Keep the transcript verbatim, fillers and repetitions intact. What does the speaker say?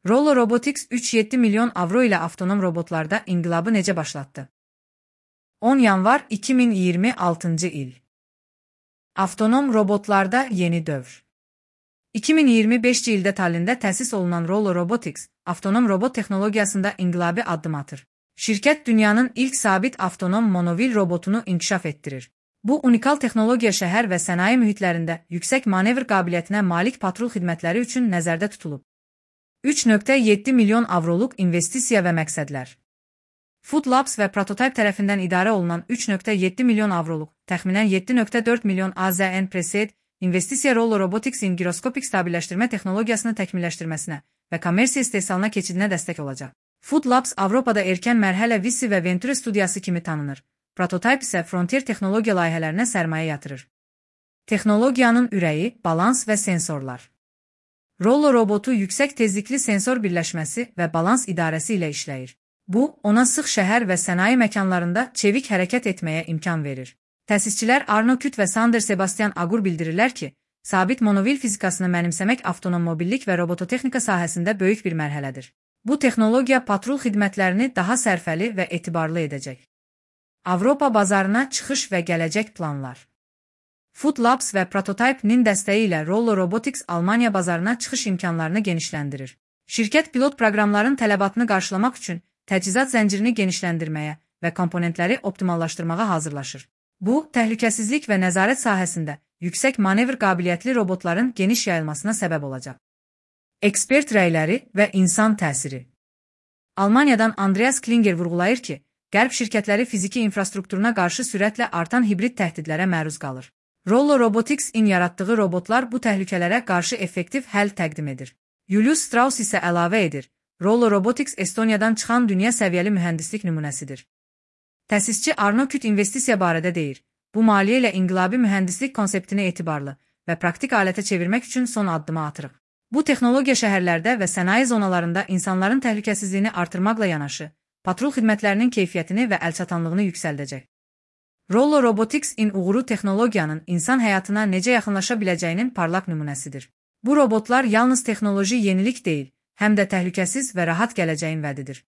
Rollo Robotics üç nöqtə yeddi milyon avro ilə avtonom robotlarda inqilabı necə başlatdı? on yanvar iki min iyirmi altıncı il. Avtonom robotlarda yeni dövr. iki min iyirmi beşinci ildə Tallində təsis olunan Rollo Robotics, avtonom robot texnologiyasında inqilabi addım atır. Şirkət dünyanın ilk sabit avtonom monovil robotunu inkişaf etdirir. Bu unikal texnologiya şəhər və sənaye mühitlərində yüksək manevr qabiliyyətinə malik patrul xidmətləri üçün nəzərdə tutulub. üç nöqtə yeddi milyon avroluq investisiya və məqsədlər. Food Labs və Prototype tərəfindən idarə olunan üç nöqtə yeddi milyon avroluq, təxminən yeddi nöqtə dörd milyon A Z N Preset, investisiya Rollo Robotics'in giroskopik stabilləşdirmə texnologiyasını təkmilləşdirməsinə və kommersiya istehsalına keçidinə dəstək olacaq. Food Labs Avropada erkən mərhələ Vissi və Venture studiyası kimi tanınır. Prototype isə Frontier texnologiya layihələrinə sərmayə yatırır. Texnologiyanın ürəyi, balans və sensorlar. Rollo robotu yüksək tezlikli sensor birləşməsi və balans idarəsi ilə işləyir. Bu, ona sıx şəhər və sənaye məkanlarında çevik hərəkət etməyə imkan verir. Təsisçilər Arno Küt və Sander Sebastian Agur bildirirlər ki, sabit monovil fizikasını mənimsəmək avtonom mobillik və robototexnika sahəsində böyük bir mərhələdir. Bu texnologiya patrul xidmətlərini daha sərfəli və etibarlı edəcək. Avropa bazarına çıxış və gələcək planlar. Food Labs və Prototype-nin dəstəyi ilə Rollo Robotics Almaniya bazarına çıxış imkanlarını genişləndirir. Şirkət pilot proqramların tələbatını qarşılamaq üçün təchizat zəncirini genişləndirməyə və komponentləri optimallaşdırmağa hazırlaşır. Bu, təhlükəsizlik və nəzarət sahəsində yüksək manevr qabiliyyətli robotların geniş yayılmasına səbəb olacaq. Ekspert rəyləri və insan təsiri. Almaniyadan Andreas Klinger vurğulayır ki, Qərb şirkətləri fiziki infrastrukturuna qarşı sürətlə artan hibrid təhdidlərə məruz qalır. Rollo Robotics-in yaratdığı robotlar bu təhlükələrə qarşı effektiv həll təqdim edir. Julius Strauss isə əlavə edir, Rollo Robotics Estoniyadan çıxan dünya səviyyəli mühəndislik nümunəsidir. Təsisçi Arno Küt investisiya barədə deyir, bu maliyyə ilə inqilabi mühəndislik konseptini etibarlı və praktik alətə çevirmək üçün son addımı atırıq. Bu texnologiya şəhərlərdə və sənaye zonalarında insanların təhlükəsizliyini artırmaqla yanaşı, patrul xidmətlərinin keyfiyyətini və əlçatanlığını yüksəldəcək. Rollo Robotics-in uğuru texnologiyanın insan həyatına necə yaxınlaşa biləcəyinin parlaq nümunəsidir. Bu robotlar yalnız texnoloji yenilik deyil, həm də təhlükəsiz və rahat gələcəyin vədidir.